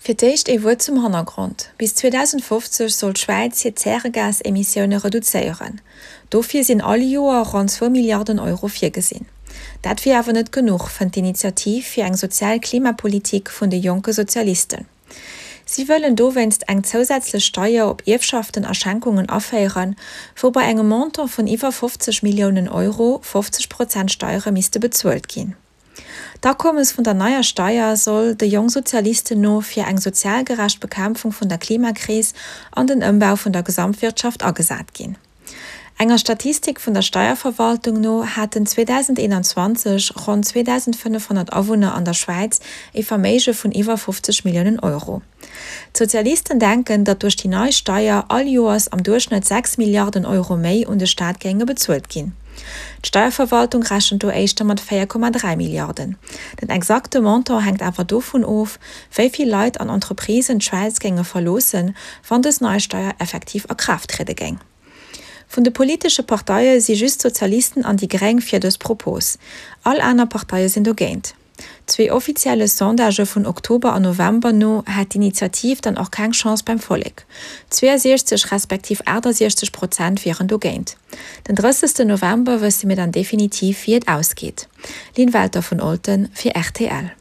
Fir d'éischt ee Wuert zum Hannergrond, Bis 2050 soll d'Schwäiz hir Zäregasemissioune reduzéieren. Dofir sinn all Joer ronn zwou Milliarden Euro virgesinn. Dat wier awer net genuch, fënnt d'Initiativ fir eng sozial Klimapolitik vun de Jonke Sozialisten. Si wëllen dowéinst eng zousätzlech Steier op Ierfschaften a Schenkungen aféieren, wou bei engem Montant vun iwwer 50 Milliounen Euro 50 Prozent Steiere misste bezuelt ginn. D'Akommes vun der neier Steier soll de Jongsozialisten no fir eng sozial gerecht Bekämpfung vun der Klimakris an den Ëmbau vun der Gesamtwirtschaft agesat ginn. Enger Statistik vun der Steierverwaltung no haten 2021 ronn 2.500 Awunner an der Schwäiz ee Verméige vun iwwer 50 Milliounen Euro. D'Sozialisten denken, datt duerch déi nei Steier all Joers am Duerchschnëtt 6 Milliarden Euro méi un de Staat géinge bezuelt ginn. D'Steierverwaltung rechent do éischter mat 4,3 Milliarden. Den exakte Montant hänkt awer dovun of, wéi vill Leit an Entreprisen d'Schwäiz géinge verloossen, wann dës nei Steier effektiv a Kraaft triede géing. Vun de politesche Parteie si just d'Sozialisten an déi Gréng fir dës Propos. All aner Parteie sinn dogéint. Zwee offizielle Sondagë vun Oktober an November no hätt d'Initiativ dann och keng Chance beim Vollek. 62 respektiv 68 Prozent wieren dogéint. Den 30 November wësse mir dann definitiv wéi et ausgeet. Lynn Welter vun Olten fir rtl.